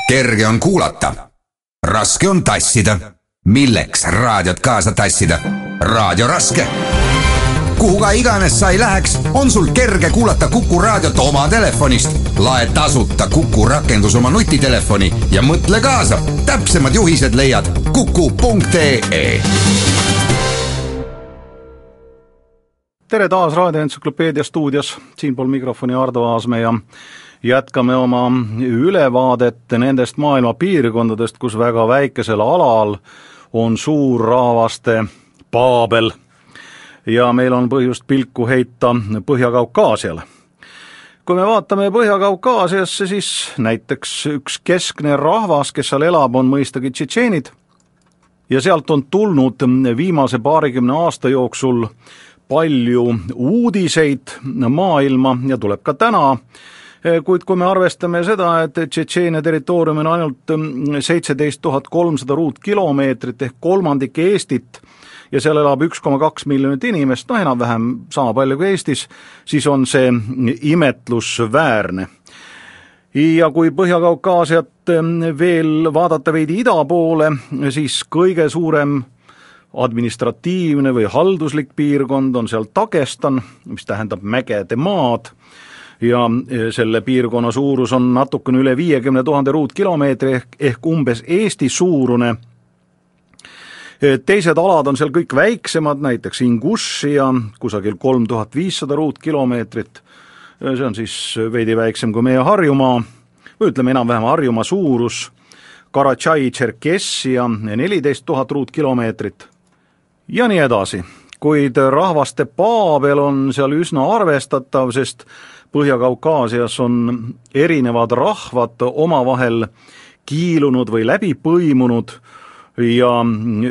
Kerge on kuulata, raske on tassida. Milleks raadiot kaasa tassida? Raadio raske. Kuhu ka iganes sa ei läheks, on sul kerge kuulata Kuku raadiot oma telefonist. Lae tasuta Kuku rakendus oma nutitelefoni ja mõtle kaasa. Täpsemad juhised leiad kuku.ee. Tere taas Raadioentsüklopeedia stuudios, siinpool mikrofoni Ardo Aasmäe ja jätkame oma ülevaadet nendest maailma piirkondadest, kus väga väikesel alal on suur rahvaste Paabel ja meil on põhjust pilku heita Põhja-Kaukaasiale. Kui me vaatame Põhja-Kaukaasiasse, siis näiteks üks keskne rahvas, kes seal elab, on mõistagi tšetšeenid ja sealt on tulnud viimase 20 aasta jooksul palju uudiseid maailma ja tuleb ka täna, kuid kui me arvestame seda, et Tšetšeenia territoorium on ainult 17 300 ruutkilomeetrit ehk kolmandik Eestit ja seal elab 1,2 miljonit inimest, enam-vähem sama palju kui Eestis, siis on see imetlusväärne. Ja kui Põhja-Kaukaasiat veel vaadata veidi ida poole, siis kõige suurem administratiivne või halduslik piirkond on seal Dagestan, mis tähendab mägede maad, ja selle piirkonna suurus on natukene üle 50 000 ruutkilomeetri ehk umbes Eesti suurune. Teised alad on seal kõik väiksemad, näiteks Ingušia, kusagil 3500 ruutkilomeetrit, see on siis veidi väiksem kui meie Harjumaa, või ütleme enam-vähem Harjumaa suurus, Karatšai-Tšerkessia 14 000 ruutkilomeetrit ja nii edasi. Kuid rahvaste Paabel on seal üsna arvestatav, sest Põhja-Kaukaasias on erinevad rahvad omavahel kiilunud või läbi põimunud ja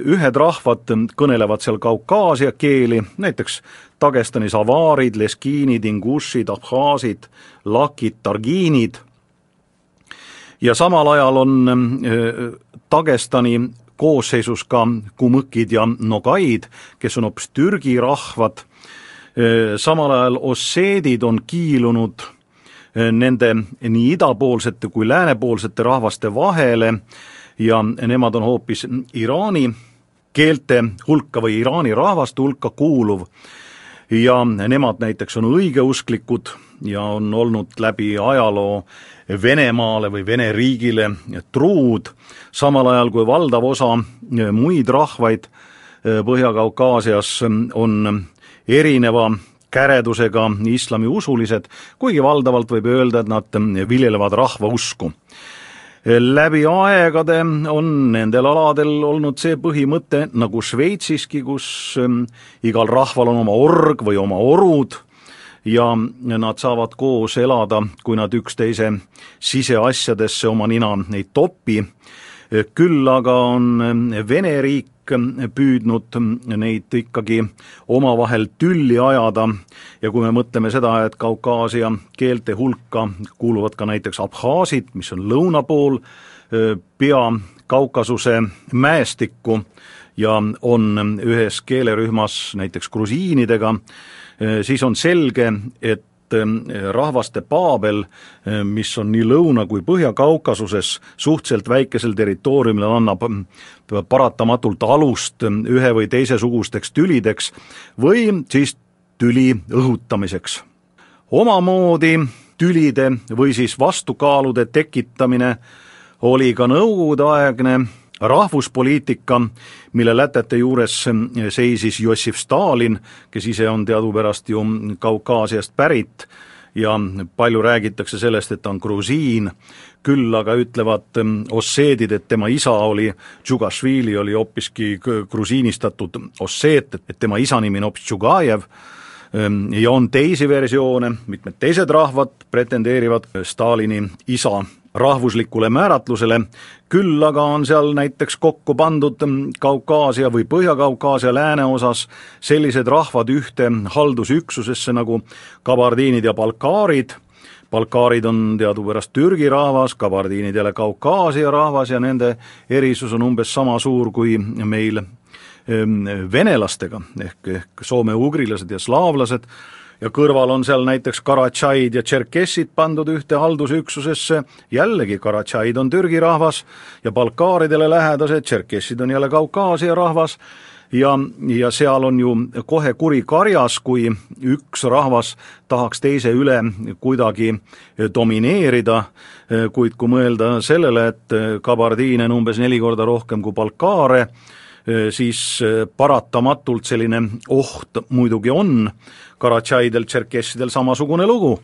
ühed rahvad kõnelevad seal Kaukaasia keeli, näiteks Dagestanis avaarid, leskiinid, ingušid, abhaasid, lakid, targiinid. Ja samal ajal on Dagestani koosseisus ka kumõkid ja nogaid, kes on hoopis Türgi rahvad. Samal ajal osseedid on kiilunud nende nii idapoolsete kui läänepoolsete rahvaste vahele ja nemad on hoopis Iraani keelte hulka või Iraani rahvaste hulka kuuluv ja nemad näiteks on õigeusklikud ja on olnud läbi ajaloo Venemaale või Vene riigile truud, samal ajal kui valdav osa muid rahvaid Põhja-Kaukaasias on erineva käredusega islami usulised, kuigi valdavalt võib öelda, et nad viljelevad rahva usku. Läbi aegade on nendel aladel olnud see põhimõte nagu Šveitsiski, kus igal rahval on oma org või oma orud ja nad saavad koos elada, kui nad üksteise siseasjadesse oma nina ei topi. Küll aga on Vene riik püüdnud neid ikkagi omavahel tülli ajada ja kui me mõtleme seda, et Kaukaasia keelte hulka kuuluvad ka näiteks abhaasid, mis on lõuna pool pea Kaukasuse mäestikku ja on ühes keelerühmas näiteks grusiinidega, siis on selge, et rahvaste Paabel, mis on nii lõuna kui Põhja-Kaukasuses suhteliselt väikesel territooriumil, annab paratamatult alust ühe või teisesugusteks tülideks või siis tüli õhutamiseks. Omamoodi tülide või siis vastukaalude tekitamine oli ka nõukogudeaegne rahvuspoliitika, mille lätete juures seisis Jossif Stalin, kes ise on teadupärast ju Kaukaasiast pärit ja palju räägitakse sellest, et ta on grusiin, küll aga ütlevad osseedid, et tema isa oli Džugašvili, oli hoopiski grusiinistatud osseet, et tema isa nimi on hoopis Džugajev ja on teisi versioone, mitmed teised rahvad pretendeerivad Stalini isa rahvuslikule määratlusele, küll aga on seal näiteks kokku pandud Kaukaasia või Põhja-Kaukaasia lääneosas sellised rahvad ühte haldusüksusesse nagu kabardiinid ja balkaarid. Balkaarid on teadupärast Türgi rahvas, kabardiinid jälle Kaukaasia rahvas ja nende erisus on umbes sama suur kui meil venelastega ehk soome-ugrilased ja slaavlased. ja kõrval on seal näiteks Karatšaid ja Tšerkessid pandud ühte haldusüksusesse, jällegi Karatšaid on Türgi rahvas ja Balkaaridele lähedased, Tšerkessid on jälle Kaukaasia rahvas ja seal on ju kohe kuri karjas, kui üks rahvas tahaks teise üle kuidagi domineerida, kuid kui mõelda sellele, et kabardiine on umbes 4 korda rohkem kui balkaare, siis paratamatult selline oht muidugi on. Karatšaidel, Tšerkessidel samasugune lugu.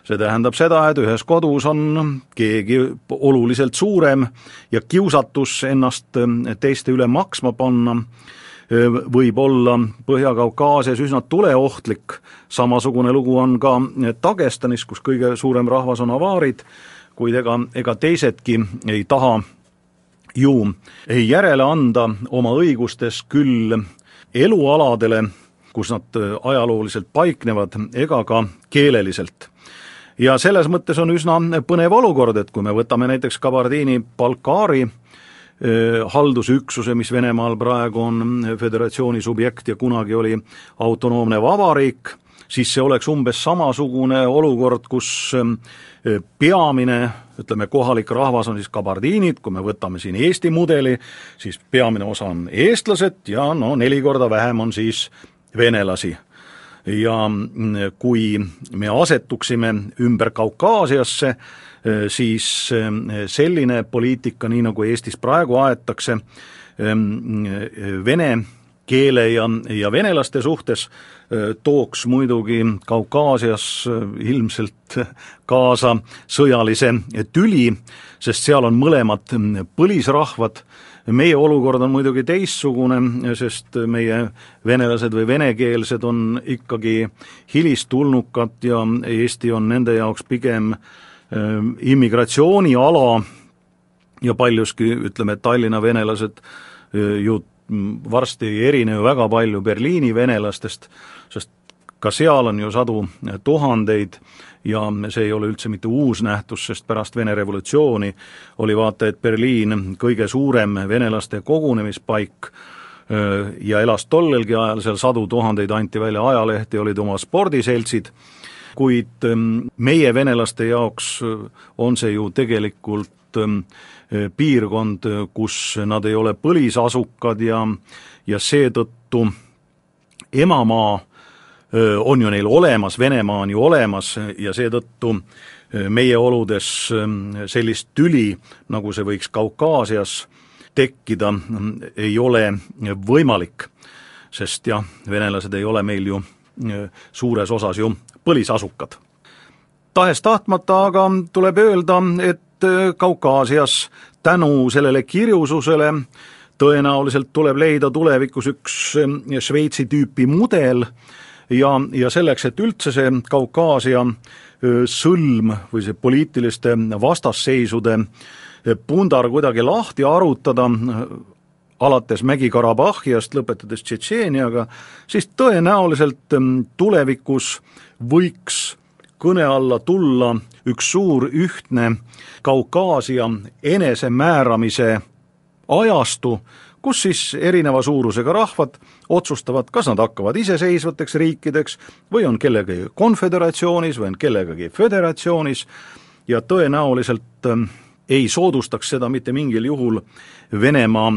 See tähendab seda, et ühes kodus on keegi oluliselt suurem ja kiusatus ennast teiste üle maksma panna võib olla Põhja-Kaukaasias üsna tuleohtlik. Samasugune lugu on ka Dagestanis, kus kõige suurem rahvas on avaarid, kuid ega teisedki ei taha ju ei järele anda oma õigustes küll elualadele, kus nad ajalooliselt paiknevad, ega ka keeleliselt. Ja selles mõttes on üsna põnev olukord, et kui me võtame näiteks Kabardiini Balkaari haldusüksuse, mis Venemaal praegu on föderatsiooni subjekt ja kunagi oli autonoomne vabariik, siis see oleks umbes samasugune olukord, kus peamine, ütleme, kohalik rahvas on siis kabardiinid, kui me võtame siin Eesti mudeli, siis peamine osa on eestlased ja 4 korda vähem on siis venelasi. Ja kui me asetuksime ümber Kaukaasiasse, siis selline poliitika, nii nagu Eestis praegu aetakse, vene keele ja venelaste suhtes tooks muidugi Kaukaasias ilmselt kaasa sõjalise tüli, sest seal on mõlemad põlisrahvad. Meie olukord on muidugi teissugune, sest meie venelased või venekeelsed on ikkagi hilistulnukad ja Eesti on nende jaoks pigem immigratsiooniala ja paljuski, ütleme, Tallinna venelased ju varsti ei erine ju väga palju Berliini venelastest, sest ka seal on ju sadu tuhandeid ja see ei ole üldse mitte uus nähtus, sest pärast Vene revolutsiooni oli vaata, et Berliin kõige suurem venelaste kogunemispaik ja elas tollelgi ajal seal sadu tuhandeid, anti välja ajalehti, olid oma spordiseltsid, kuid meie venelaste jaoks on see ju tegelikult piirkond, kus nad ei ole põlisasukad ja seetõttu emamaa on ju neil olemas, Venemaa on ju olemas ja seetõttu meie oludes sellist tüli, nagu see võiks Kaukaasias tekkida, ei ole võimalik, sest jah, venelased ei ole meil ju suures osas ju põlisasukad. Tahes-tahtmata aga tuleb öelda, et Kaukaasias tänu sellele kirjususele tõenäoliselt tuleb leida tulevikus üks Šveitsi tüüpi mudel ja selleks, et üldse see Kaukaasia sõlm või see poliitiliste vastasseisude pundar kuidagi lahti arutada, alates Mägi-Karabahhiast, lõpetades Tšetšeeniaga, siis tõenäoliselt tulevikus võiks kõne alla tulla üks suur ühtne Kaukaasia enesemääramise ajastu, kus siis erineva suurusega rahvad otsustavad, kas nad hakkavad iseseisvateks riikideks või on kellegagi konföderatsioonis või on kellegagi föderatsioonis ja tõenäoliselt ei soodustaks seda mitte mingil juhul Venemaa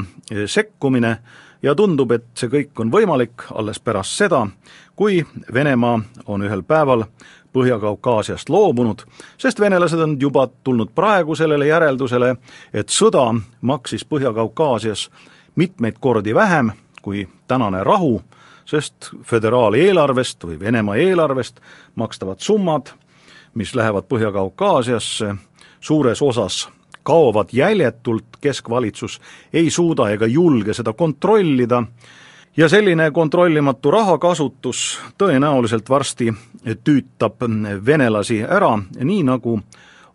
sekkumine ja tundub, et see kõik on võimalik alles pärast seda, kui Venemaa on ühel päeval Põhja-Kaukaasiast loobunud, sest venelased on juba tulnud praegu sellele järeldusele, et sõda maksis Põhja-Kaukaasias mitmeid kordi vähem kui tänane rahu, sest föderaaleelarvest või Venemaa eelarvest makstavad summad, mis lähevad Põhja-Kaukaasiasse, suures osas kaovad jäljetult, keskvalitsus ei suuda ega julge seda kontrollida ja selline kontrollimatu rahakasutus tõenäoliselt varsti tüütab venelasi ära, nii nagu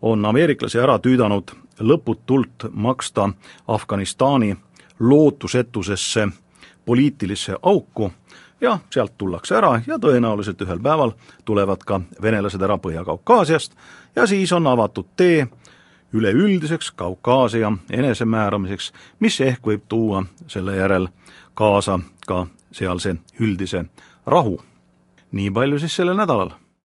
on ameeriklasi ära tüüdanud lõputult maksta Afganistani lootusetusesse poliitilisse auku ja sealt tullakse ära ja tõenäoliselt ühel päeval tulevad ka venelased ära Põhja-Kaukaasiast ja siis on avatud tee üleüldiseks Kaukaasia enesemääramiseks, mis ehk võib tuua selle järel kaasa ka sealse üldise rahu. nii palju siis sellel nädalal.